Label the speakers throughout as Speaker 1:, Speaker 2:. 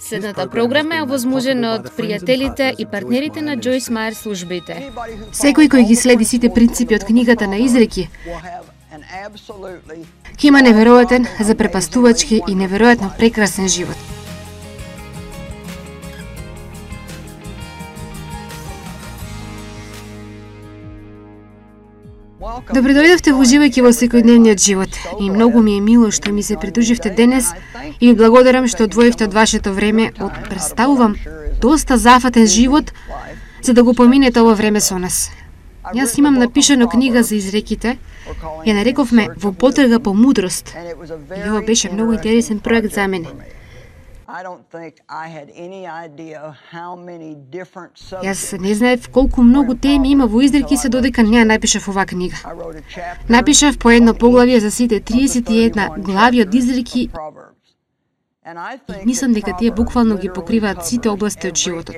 Speaker 1: Следната програма е овозможена од пријателите и партнерите на Джойс Мајер службите.
Speaker 2: Секој кој ги следи сите принципи од книгата на Изреки, ќе има неверојатен, запрепастувачки и неверојатно прекрасен живот. Добре дојдовте во уживајќи во секојдневниот живот и многу ми е мило што ми се придруживте денес и ви благодарам што одвоивте од вашето време од, представувам, доста зафатен живот за да го поминете ова време со нас. Јас имам напишано книга за изреките, ја нарековме Во потрага по мудрост и ова беше многу интересен проект за мене. Јас не знаев колку многу теми има во изреки се додека не ја напишав оваа книга. Напишав по едно поглавје за сите 31 глави од изреки и мислам дека тие буквално ги покриваат сите области од животот.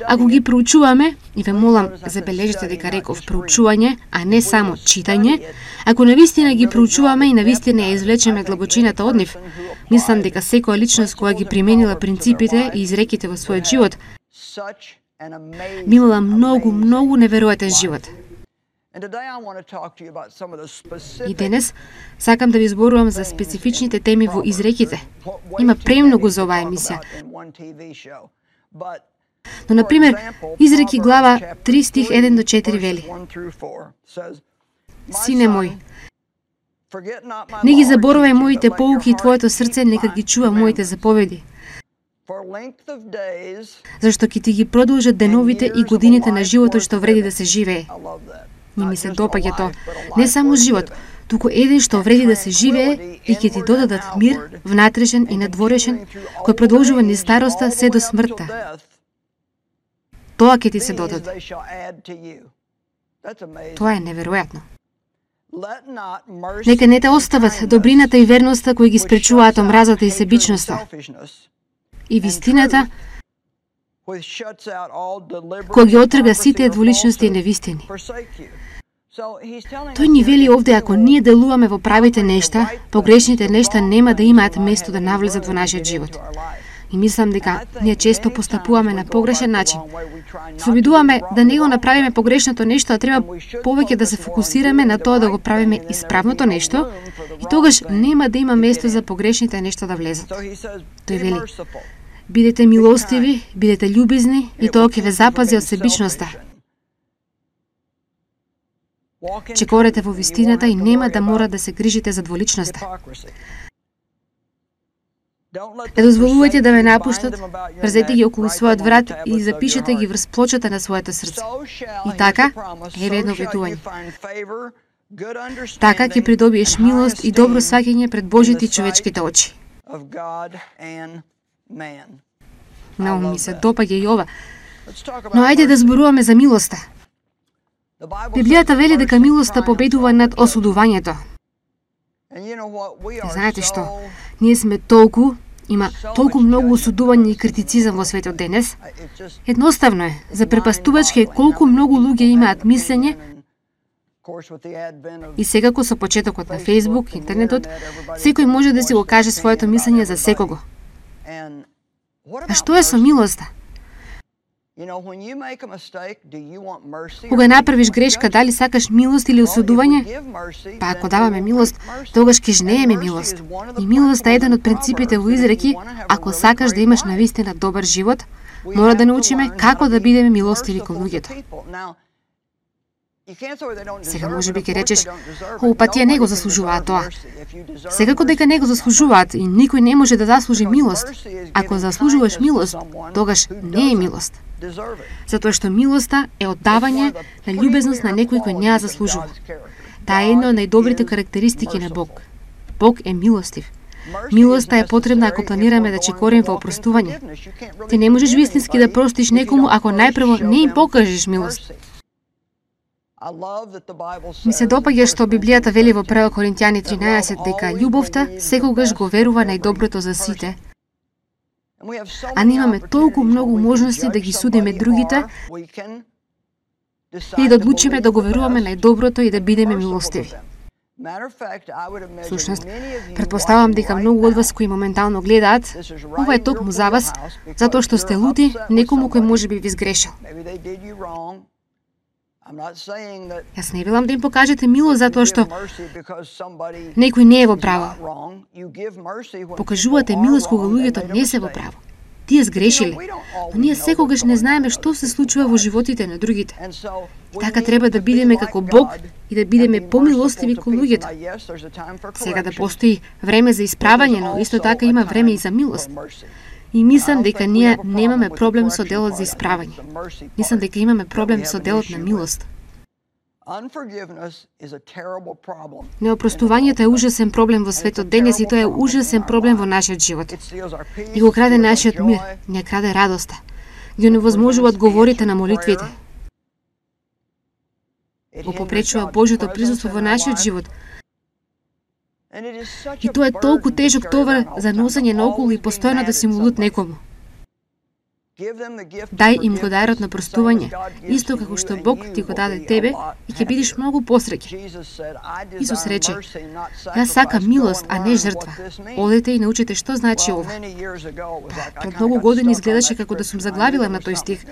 Speaker 2: Ако ги проучуваме, и ве молам, забележете дека реков проучување, а не само читање, ако навистина ги проучуваме и навистина ја извлечеме длабочината од нив, мислам дека секоја личност која ги применила принципите и изреките во својот живот, би имала многу неверојатен живот. И денес сакам да ви зборувам за специфичните теми во изреките. Има премногу за оваа емисија. Но, например, Изреки глава 3 стих 1 до 4 вели: Сине мој, не ги заборавај моите поуки и твоето срце нека ги чува моите заповеди, зашто ќе ти ги продолжат деновите и годините на животот што вреди да се живее. Не ми се допаѓа тоа. Не само живот, туку еден што вреди да се живее и ќе ти додадат мир, внатрешен и надворешен, кој продолжува низ староста се до смртта. Тоа ќе ти се додаде. Тоа е неверојатно. Нека не те остават добрината и верноста кои ги спречуваат омразата и себичноста. И вистината кој ги отрга сите дволичности и невистини. Тој ни вели овде, ако ние делуваме во правите нешта, погрешните нешта нема да имаат место да навлезат во нашиот живот. И мислам дека ние често постапуваме на погрешен начин. Се обидуваме да не го направиме погрешното нешто, а треба повеќе да се фокусираме на тоа да го правиме исправното нешто, и тогаш нема да има место за погрешните нешта да влезат. Тој вели: бидете милостиви, бидете љубезни и тоа ќе ве запази од себичноста. Чекорете во вистината и нема да мора да се грижите за дволичноста. Не дозволувајте да ве напуштат, врзете ги околу својот врат и запишете ги врз плочата на своето срце. И така, еве едно ветување. Така ќе придобиеш милост и добро сваќање пред Божите и човечките очи. Многу ми се допаѓа и ова. Но ајде да зборуваме за милоста. Библијата вели дека милоста победува над осудувањето. Знаете што? Ние сме има толку многу осудување и критицизам во светот денес. Едноставно е, запрепастувачки е колку многу луѓе имаат мислење. И секако со почетокот на Facebook, интернетот, секој може да си го каже своето мислење за секого. А што е со милоста? Кога направиш грешка, дали сакаш милост или осудување? Па ако даваме милост, тогаш ќе жнееме милост. И милоста е еден од принципите во изреки. Ако сакаш да имаш навистина добар живот, мора да научиме како да бидеме милостиви кон луѓето. Сега може би ќе речеш: па тие не го заслужуваат тоа. Секако дека не го заслужуваат и никој не може да заслужи милост. Ако заслужуваш милост, тогаш не е милост. Затоа што милоста е оддавање на љубезност на некој кој не ја заслужува. Таа е една од најдобрите карактеристики на Бог. Бог е милостив. Милоста е потребна ако планираме да чекорим во опростување. Ти не можеш вистински да простиш некому ако најпрво не им покажеш милост. Ми се допаѓа што Библијата вели во 1 Коринтијани 13 дека љубовта секогаш го верува најдоброто за сите. А ние имаме толку многу можности да ги судиме другите и да одлучиме да го веруваме најдоброто и да бидеме милостиви. Всушност, претпоставам дека многу од вас кои моментално гледаат, ова е токму за вас, затоа што сте лути некому кој можеби ви сгрешил. Јас не велам да им покажете милост затоа што некој не е во право. Покажувате милост кога луѓето не се во право. Тие сгрешиле, но ние секогаш не знаеме што се случува во животите на другите. И така треба да бидеме како Бог и да бидеме помилостиви кон луѓето. Сега да постои време за исправање, но исто така има време и за милост. И мислам дека ние немаме проблем со делот за исправање. Мислам дека имаме проблем со делот на милост. Неопростувањето е ужасен проблем во светот денес и тоа е ужасен проблем во нашиот живот. И го краде нашиот мир, не краде радоста. Ги оневозможува одговорите на молитвите. Го попречува Божјото присуство во нашиот живот. И тоа е толку тежок товар за носење наоколу и постојано да си му лут некому. Дај им го дарот на простување, исто како што Бог ти го даде тебе и ќе бидеш многу посреќен. Исус рече: "Јас сакам милост, а не жртва. Одете и научете што значи ова." Пред многу години изгледаше како да сум заглавила на тој стих.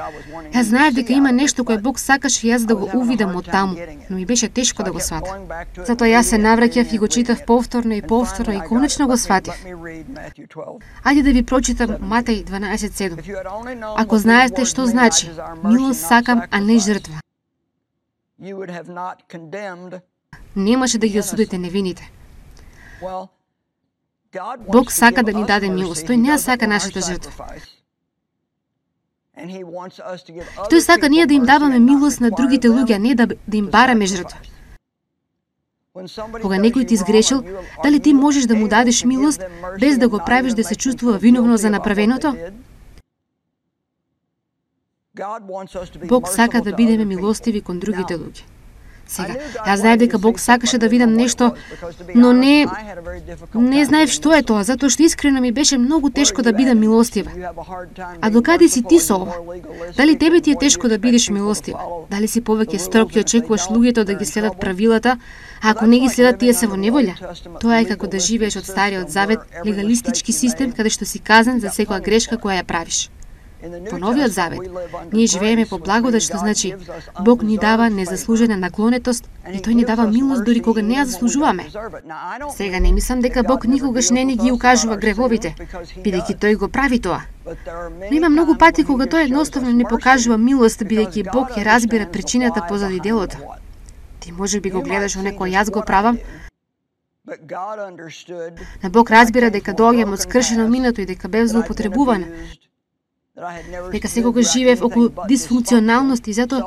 Speaker 2: Јас знаев дека има нешто кое Бог сакаше јас да го увидам од таму, но ми беше тешко да го сватам. Затоа јас се навраќав и го читав повторно и повторно и конечно го сватив. Ајде да ви прочитам Матеј 12:7. Ако знаете што значи милост сакам, а не жртва, немаше да ги осудите невините. Бог сака да ни даде милост, тој не сака нашата жртва. Тој сака ние да им даваме милост на другите луѓе, а не да им бараме жртва. Кога некој ти сгрешил, дали ти можеш да му дадеш милост без да го правиш да се чувствува виновно за направеното? Бог сака да бидеме милостиви кон другите луѓе. Сега, јас знаев дека Бог сакаше да видам нешто, но не знаев што е тоа, затоа што искрено ми беше многу тешко да бидам милостива. А докаде си ти со ова? Дали тебе ти е тешко да бидеш милостива? Дали си повеќе строг и очекуваш луѓето да ги следат правилата, а ако не ги следат, тие се во неволја? Тоа е како да живееш од Стариот Завет, легалистички систем, каде што си казан за секоја грешка која ја правиш. Во Новиот Завет, ние живееме по благодат, што значи Бог ни дава незаслужена наклонетост и тој ни дава милост дури кога не ја заслужуваме. Сега не мислам дека Бог никогаш не ни ги укажува гревовите, бидејќи тој го прави тоа. Но има многу пати кога тој едноставно не покажува милост, бидејќи Бог ја разбира причината позади делото. Ти можеби го гледаш во некој јас го правам, но Бог разбира дека доаѓам од скршено минато и дека бев злоупотребувана, дека секогаш живеев околу дисфункционалност и затоа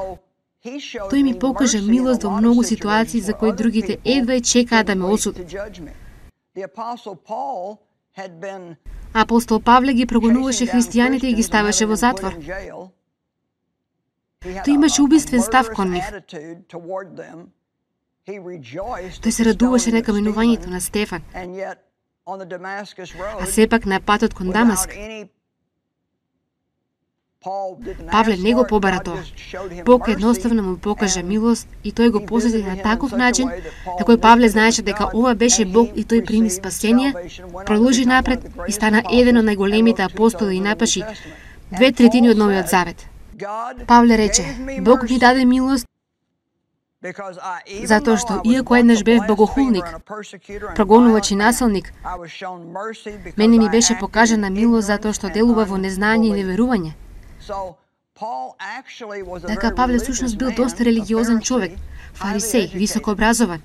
Speaker 2: тој ми покажа милост во многу ситуации за кои другите едва чекаат да ме осудат. Апостол Павле ги прогонуваше христијаните и ги ставаше во затвор. Тој имаше убиствен став кон нив. Тој се радуваше на каменувањето на Стефан. А сепак на патот кон Дамаск, Павле не го побара тоа. Бог едноставно му покажа милост и тој го посети на таков начин, на кој Павле знаеше дека ова беше Бог и тој прими спасение, продолжи напред и стана еден од најголемите апостоли и напаши 2/3 од Новиот Завет. Павле рече: Бог ми даде милост затоа што иако еднаш бев богохулник, прогонувач и насилник, мене ми беше покажана милост затоа што делува во незнање и неверување. Така Павле всушност бил доста религиозен човек, фарисеј, високо образован.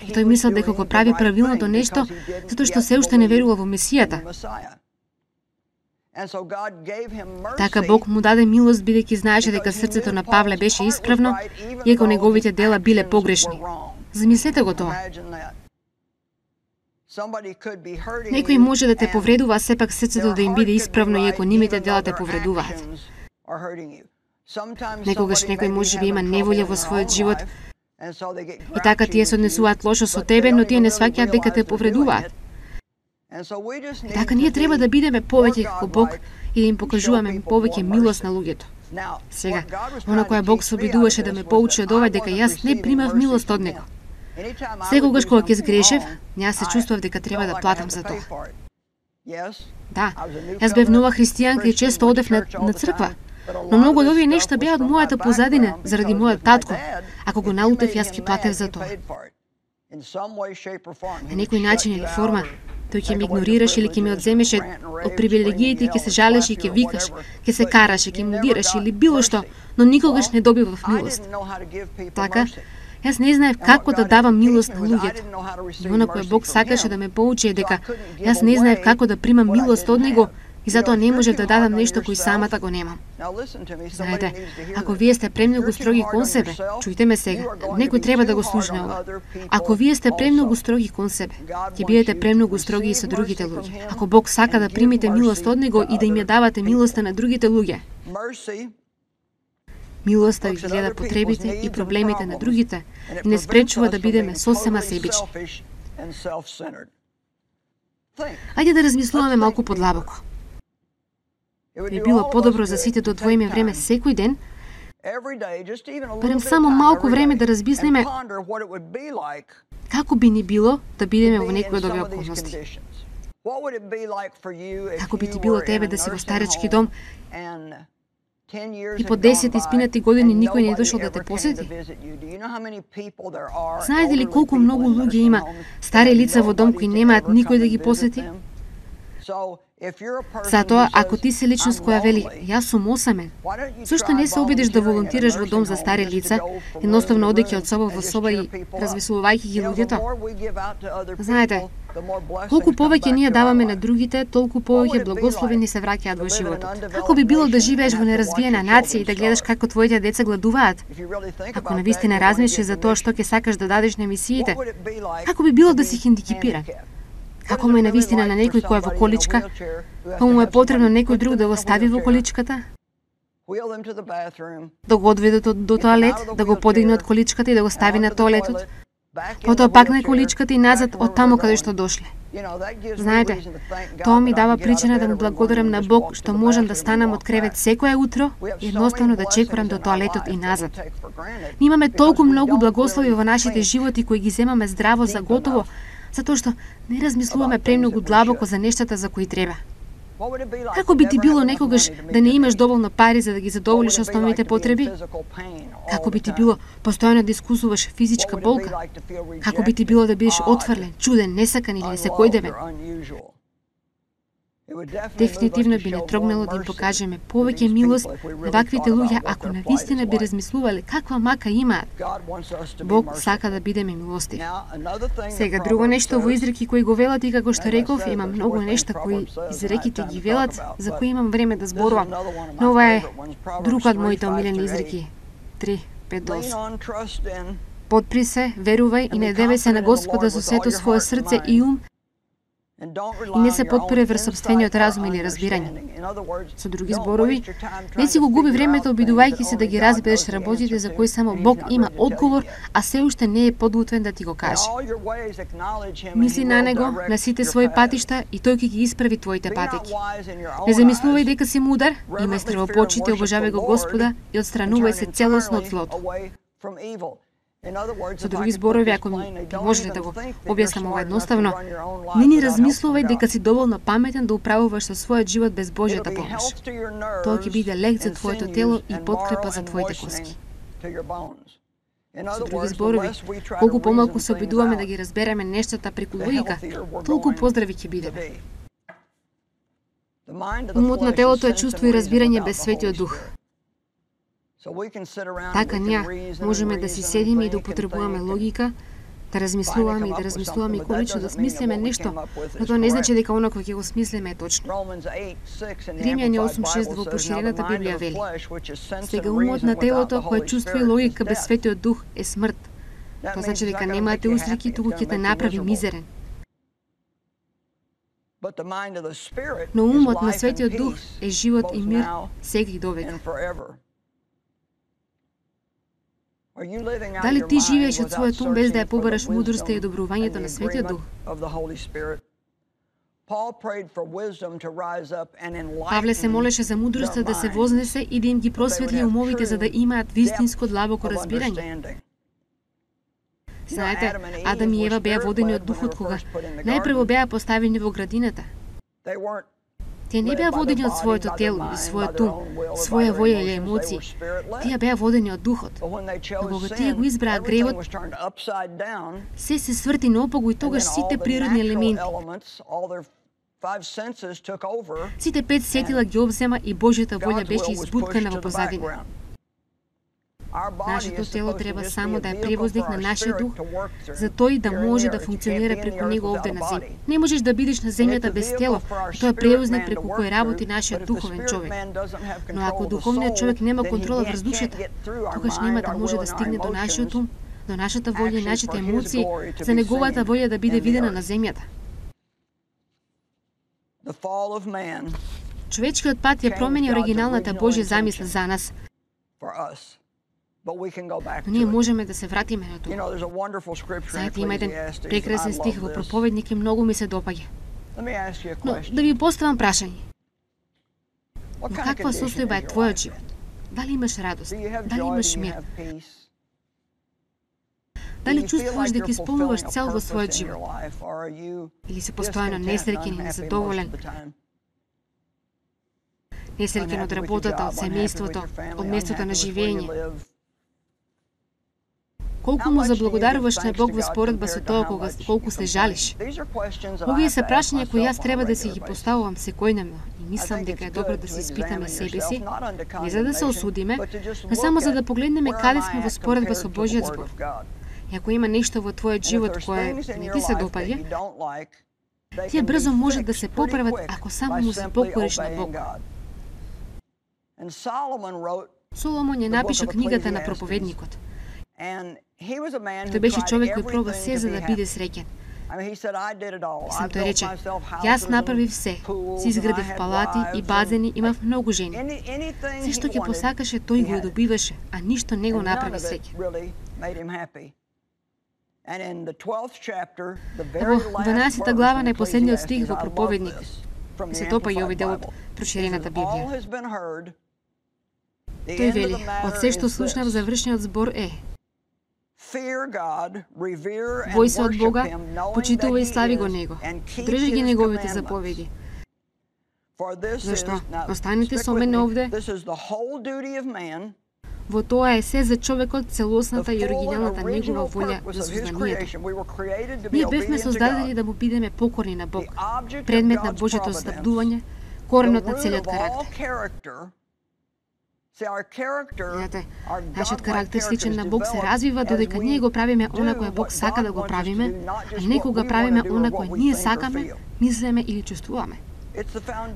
Speaker 2: И тој мислел дека го прави правилното нешто затоа што се уште не верува во Месијата. Така Бог му даде милост бидејќи знаеше дека срцето на Павле беше исправно, иако неговите дела биле погрешни. Замислете го тоа. Некој може да те повредува, а сепак срцето да им биде исправно, иако нивните дела те повредуваат. Некогаш некој може би има неволја во својот живот и така тие се однесуваат лошо со тебе, но тие не сваќаат дека те повредуваат. И така ние треба да бидеме повеќе како Бог и да им покажуваме повеќе милост на луѓето. Сега, она која Бог се обидуваше да ме поучи од ова дека јас не примав милост од Него. Секогаш кога ќе сгрешев, јас се чувствував дека треба да платам за тоа. Да, јас бев нова христијанка и често одев на црква. Но многу од овие нешта беа од мојата позадина, заради мојот татко. Ако го налутев, јас ќе платев за тоа. На некој начин или форма, тој ќе ме игнорираше или ќе ме одземеше од привилегиите и ќе се жалеше и ќе викаш, ќе се караше, ќе му дираше или било што, но никогаш не добивав милост. Така, јас не знаев како да давам милост на луѓето. И она кое Бог сакаше да ме поучи е дека јас не знаев како да примам милост од Него и затоа не можев да дадам нешто кој самата го немам. Знаете, ако вие сте премногу строги кон себе, чујте ме сега, некој треба да го слушне ова. Ако вие сте премногу строги кон себе, ќе бидете премногу строги и со другите луѓе. Ако Бог сака да примите милост од Него и да им ја давате милоста на другите луѓе, милоста ги гледа потребите и проблемите на другите и не спречува да бидеме сосема себични. Ајде да размислуваме малку подлабоко. Би било подобро за сите да одвоиме време секој ден, барем само малку време да размислиме како би ни било да бидеме во некој од овие околности. Како би ти било тебе да си во старечки дом и по 10 испинати години никој не е дошол да те посети? Знаете ли колку многу луѓе има стари лица во дом кои немаат никој да ги посети? Затоа, ако ти си личност која вели, јас сум осамен, зошто не се обидиш да волонтираш во дом за стари лица, едноставно одејќи од соба во соба и развеселувајќи ги луѓето? Знаете, колку повеќе ние даваме на другите, толку повеќе благослови ни се враќаат во животот. Како би било да живееш во неразвиена нација и да гледаш како твоите деца гладуваат? Ако навистина размислиш за тоа што ќе сакаш да дадеш на мисиите, како би било да си хендикипиран? Како му е навистина на некој кој е во количка, па му е потребно некој друг да го стави во количката, да го одведе до тоалет, да го подигне од количката и да го стави на тоалетот, потоа пак на количката и назад од таму каде што дошле. Знаете, тоа ми дава причина да му благодарам на Бог што можам да станам од кревет секое утро и едноставно да чекорам до тоалетот и назад. Имаме толку многу благослови во нашите животи кои ги земаме здраво за готово, затоа што не размислуваме премногу длабоко за нештата за кои треба. Како би ти било некогаш да не имаш доволно пари за да ги задоволиш основните потреби? Како би ти било постојано да искусуваш физичка болка? Како би ти било да бидеш отфрлен, чуден, несакан или несекојдевен? Дефинитивно би не трогнало да им покажеме повеќе милост на ваквите луѓе ако навистина би размислувале каква мака имаат. Бог сака да бидеме милостив. Сега друго нешто во изреки кои го велат и како што реков, има многу нешта кои изреките ги велат за кои имам време да зборувам. Но ова е друг од моите омилени изреки. 3:5-8. Подпри се, верувај и надевај се на Господа со сето свое срце и ум, и не се подпире врз сопствениот разум или разбирање. Со други зборови, не си го губи времето обидувајќи се да ги разбереш работите за кои само Бог има одговор, а се уште не е подготвен да ти го каже. Мисли на Него, на сите своји патишта и Тој ќе ги исправи твоите патеки. Не замислувај дека си мудар, имај страво почит и обожавај го Господа и отстранувај се целосно од злото. Со други зборови, ако можете да го објаснам ова едноставно, не ни размислувај дека си доволно паметен да управуваш со својот живот без Божјата помош. Тоа ќе биде лек за твоето тело и подкрепа за твоите коски. Со други зборови, колку помалку се обидуваме да ги разбереме нештата преку логика, толку поздрави ќе бидеме. Умот на телото е чувство и разбирање без Светиот Дух. Така ние можеме да си седиме и да употребуваме логика, да размислуваме и колично да смислиме нешто, но тоа не значи дека оно кој ќе го смислиме е точно. Римјани 8:6 во поширената Библија вели: сега умот на телото кој чувства и логика без Светиот Дух е смрт. Тоа значи дека немате усреки, туку ќе те направи мизерен. Но умот на Светиот Дух е живот и мир сега и довека. Дали ти живееш од својот ум без да ја побараш мудроста и добрувањето на Светиот Дух? Павле се молеше за мудроста да се вознесе и да им ги просветли умовите за да имаат вистинско длабоко разбирање. Знаете, Адам и Ева беа водени од духот кога најпрво беа поставени во градината. Тие не беа водени од своето тело или својот ум, своја воја или емоции. Тие беа водени од духот. Но кога тие го избраа гревот, се сврти наопаку и тогаш сите природни елементи, сите 5 сетила ги обзема и Божјата волја беше избуткана во позадина. Нашето тело треба само да е превозник на нашиот дух, за тој да може да функционира преку него овде на земја. Не можеш да бидеш на земјата без тело, тоа е превозник преку кој работи нашиот духовен човек. Но ако духовниот човек нема контрола врз душата, тогаш нема да може да стигне до нашиот ум, до нашата волја и нашите емоции, за неговата волја да биде видена на земјата. Човечкиот пат ја промени оригиналната Божја замисла за нас. Но ние можеме да се вратиме на тоа. Знаете, има еден прекрасен стих во Проповедник и многу ми се допаѓа. Но да ви поставам прашање. Во каква состојба е твојот живот? Дали имаш радост? Дали имаш мир? Дали чувствуваш дека исполнуваш цел во својот живот? Или си постојано несреќен и незадоволен? Несреќен од работата, од семејството, од местото на живење? Колку му заблагодаруваш на Бог во споредба со тоа колку се жалиш? Овие се прашања кои јас треба да си ги поставувам секојдневно и мислам дека е добро да се испитаме себе си, не за да се осудиме, но само за да погледнеме каде сме во споредба со Божјиот збор. И ако има нешто во твојот живот кое не ти се допаѓа, тие брзо можат да се поправат ако само му се покориш на Бог. Соломон ја напиша книгата на Проповедникот. Тој беше човек кој проба се за да биде среќен. Сам тој рече, јас направив се, си изградив палати и базени, имав многу жени. Се што ќе посакаше, тој го добиваше, а ништо не го направи среќен. Во 12 глава најпоследниот стих во Проповедник се допаѓа овој дел од проширената Библија. Тој вели, од се што слушнав завршниот збор е: бој се од Бога, почитувај и слави го Него, држи ги Неговите заповеди. Зашто? Останете со мене овде. Во тоа е се за човекот, целосната и оригиналната негова волја за сознанието. Ние бевме создадени да му бидеме покорни на Бог, предмет на Божјото снабдување, коренот на целиот карактер. Знаете, нашиот карактер сличен на Бог се развива додека ние го правиме она кое Бог сака да го правиме, а не кога правиме она кое ние сакаме, мислиме или чувствуваме.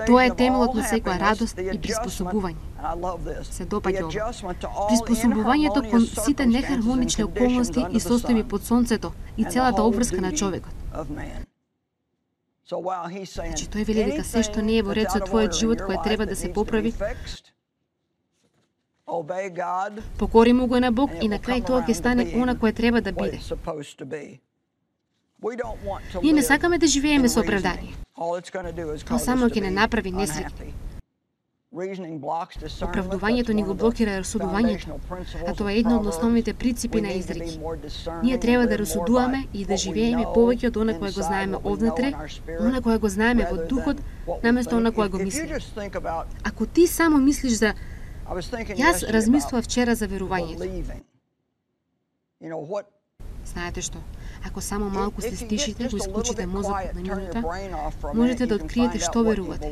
Speaker 2: Тоа е темелот на секоја радост и приспособување. Се допаѓа ова. Приспособувањето кон сите нехармонични околности и состојби под сонцето и целата обврска на човекот. Значи, тој вели дека се што не е во ред со твојот живот кој треба да се поправи, покори му го на Бог и на крај тоа ќе стане она кое треба да биде. Ние не сакаме да живееме со оправдание. Тоа само ќе не направи несреќни. Оправдувањето ни го блокира расудувањето, а тоа е едно од основните принципи на изреки. Ние треба да расудуваме и да живееме повеќе од она кое го знаеме однатре, она кое го знаеме во духот, наместо она кое го мислиме. Ако ти само мислиш за јас размислував вчера за верувањето. Знаете што? Ако само малку се стишите, го исклучите мозокот на минута, можете да откриете што верувате.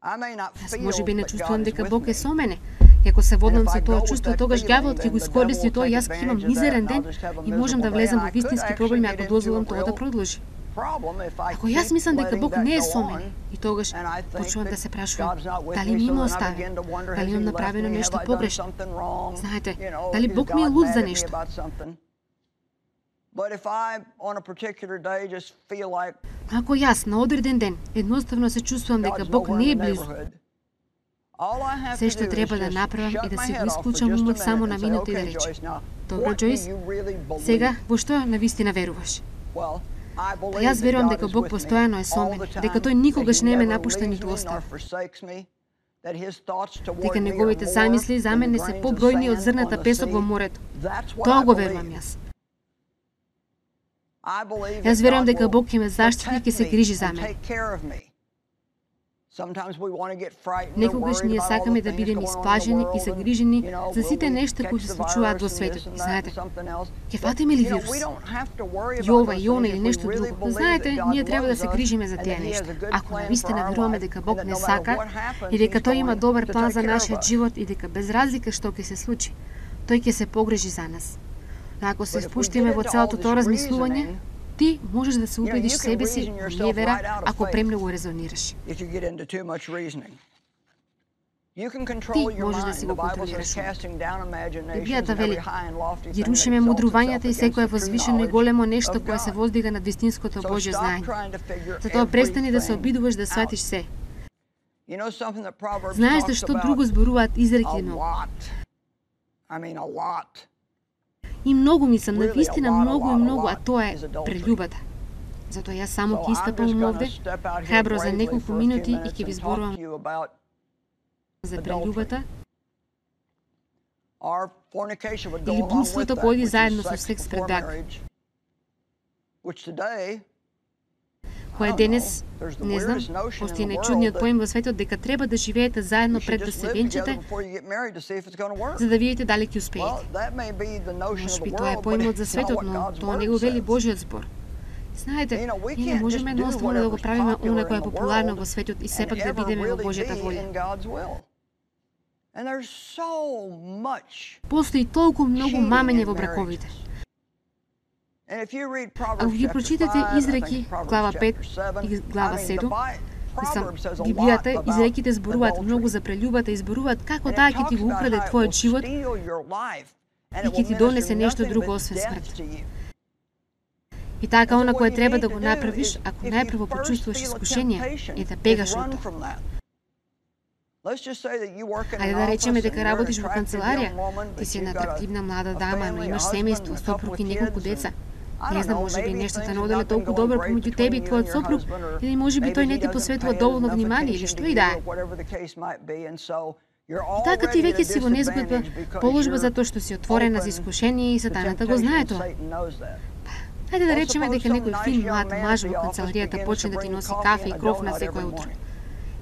Speaker 2: Јас можеби не чувствувам дека Бог е со мене. И ако се водам со тоа чувство, тогаш ѓаволот ќе го искористи тоа, јас ќе имам мизерен ден и можам да влезам во вистински проблеми ако дозволам тоа да продолжи. Ако јас мислам дека Бог не е со мене, и тогаш почнувам да се прашувам, дали ми има остави, дали имам направено нешто погрешно. Знаете, дали Бог ми е луд за нешто. Ако јас на одреден ден едноставно се чувствувам дека Бог не е близу, се што треба да направам е да си го исклучам умот само на минута и да речем: добро, Џојс, сега во што навистина веруваш? Па јас верувам дека Бог постојано е со мене, дека тој никогаш не ме напушта ниту остави, дека неговите замисли за мене се побројни од зрната песок во морето. Тоа го верувам јас. Јас верувам дека Бог ќе ме заштити и ќе се грижи за мене. Некогаш ние сакаме да бидеме исплажени и загрижени за сите нешта кои се случуваат во светот. И знаете, ќе фатиме ли вирус? Јова, Јона или нешто друго? Знаете, ние треба да се грижиме за тие нешта. Ако навистина веруваме дека Бог не сака и дека Тој има добар план за нашиот живот и дека без разлика што ќе се случи, Тој ќе се погрижи за нас. Но ако се впуштиме во целото тоа размислување, ти можеш да се убедиш себе си во невера ако премногу резонираш. Ти можеш да си го контролираш. Библијата вели: ги рушиме мудрувањата и секое возвишено и големо нешто кое се воздига над вистинското Божјо знаење. Затоа престани да се обидуваш да сватиш се. Знаеш што друго зборуваат изреки, но и многу мислам, навистина многу, а тоа е прељубата. Затоа јас само ќе истапам овде, храбро за неколку минути и ќе ви зборувам за прељубата или блудството кој оди заедно со секс пред брак. Кој денес, не знам, постои најчудниот поим во светот дека треба да живеете заедно пред да се венчате, за да видите дали ќе успеете. Можеби тоа е поимот за светот, но тоа не го вели Божиот збор. Знаете, ние не можеме едноставно да го правиме она кое е популарно во светот и сепак да бидеме во Божјата волја. Постои толку многу мамење во браковите. Ако ги прочитате изреки, глава 5 и глава 7, Библијата, изреките зборуваат многу за прељубата и зборуваат како таа ќе ти го украде твојот живот и ќе ти донесе нешто друго освен смрт. И така она кое треба да го направиш, ако најпрво почувствуваш искушение, е да бегаш од тоа. Ајде да речеме дека работиш во канцеларија, ти си една атрактивна млада дама, но имаш семејство, сопруг и неколку деца. Не знам, можеби нештата не оделе толку добро помеѓу тебе и твојот сопруг, или можеби тој не ти посветува доволно внимание, или што и да е. И така ти веќе си во незгодба положба за тоа што си отворена за искушение и сатаната го знае тоа. Хајде да речеме дека некој фин млад маж во канцеларијата почне да ти носи кафе и кров на секое утро.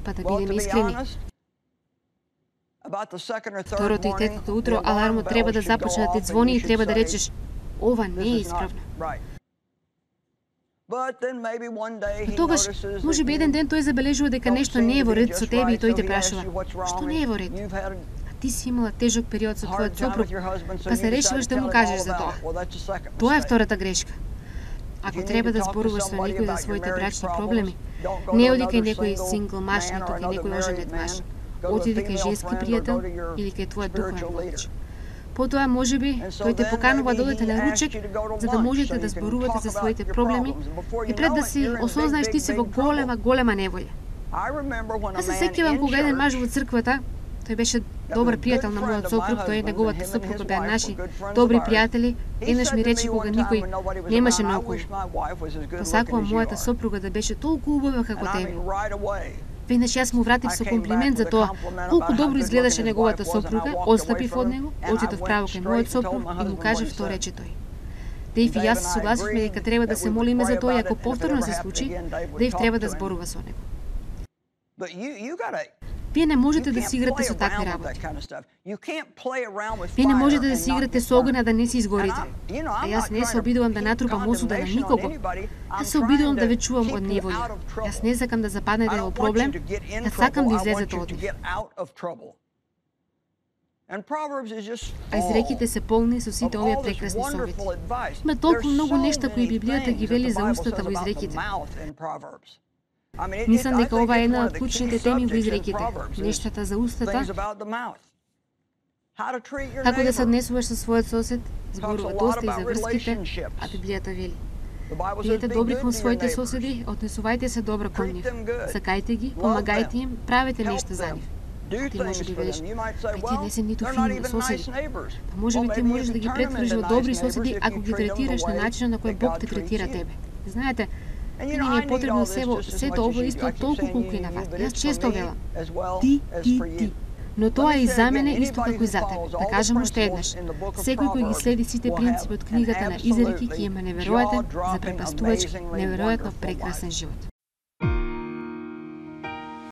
Speaker 2: Па да бидеме искрени. Второто и третото утро алармот треба да започне да ти звони и треба да речеш: ова не е исправно. Но тогаш, можеби еден ден тој забележува дека нешто не е во ред со тебе и тој те прашува: што не е во ред? А ти си имала тежок период со твојот сопруг, па се решиваш да му кажеш за тоа. Тоа е втората грешка. Ако треба да зборуваш со некој за своите брачни проблеми, не оди кај некој сингл маж, ниту кај некој оженет маж. Отиди кај женски пријател или кај твојот духовен водич. Потоа, можеби, тој те поканува да одите на ручек, за да можете да зборувате за своите проблеми и пред да си осознаеш ти си во голема неволја. Аз се сеќавам кога еден маж во црквата, тој беше добар пријател на мојот сопруг, тој и неговата сопруга беа наши добри пријатели, еднаш ми рече кога никој немаше наоколу: посакувам мојата сопруга да беше толку убава како тебе. Веднаш јас му вратив со комплимент за тоа колку добро изгледаше неговата сопруга, отстапив од него, отидов право кај мојот сопруг и му кажав што рече тој. Дејв и јас се согласивме дека треба да се молиме за тоа и ако повторно се случи, Дејв треба да зборува со него. Вие не можете да си играте со такви работи. Вие не можете да си играте со огна да не се изгорите. А јас не се обидувам да натрупам осуда на никого. Јас се обидувам да ве чувам од неволја. Јас не сакам да западнете во проблем, јас сакам да излезете од нив. А изреките се полни со сите овие прекрасни совети. Има толку многу нешта кои Библијата ги вели за устата во изреките. Мислам дека ова е една од клучните теми во изреките, нештата за устата. Како да се однесуваш со својот сосед, зборува доста и за врските, а Библијата вели: бидете добри кон своите соседи, однесувајте се добро кон нив, сакајте ги, помагајте им, правете нешто за нив. А ти можеби велиш: тие не се ниту фини соседи. Па можеби ти можеш да ги претвориш во добри соседи ако ги третираш на начинот на кој Бог те третира тебе. Знаете, не ни е потребно сето ово исто толку колку и на вас. Јас често велам: ти. Но тоа е и за мене исто како и за тебе. Да кажам уште еднаш, секој кој ги следи сите принципи од книгата на Изреки ќе има неверојатен, запрепастувач, неверојатно прекрасен живот.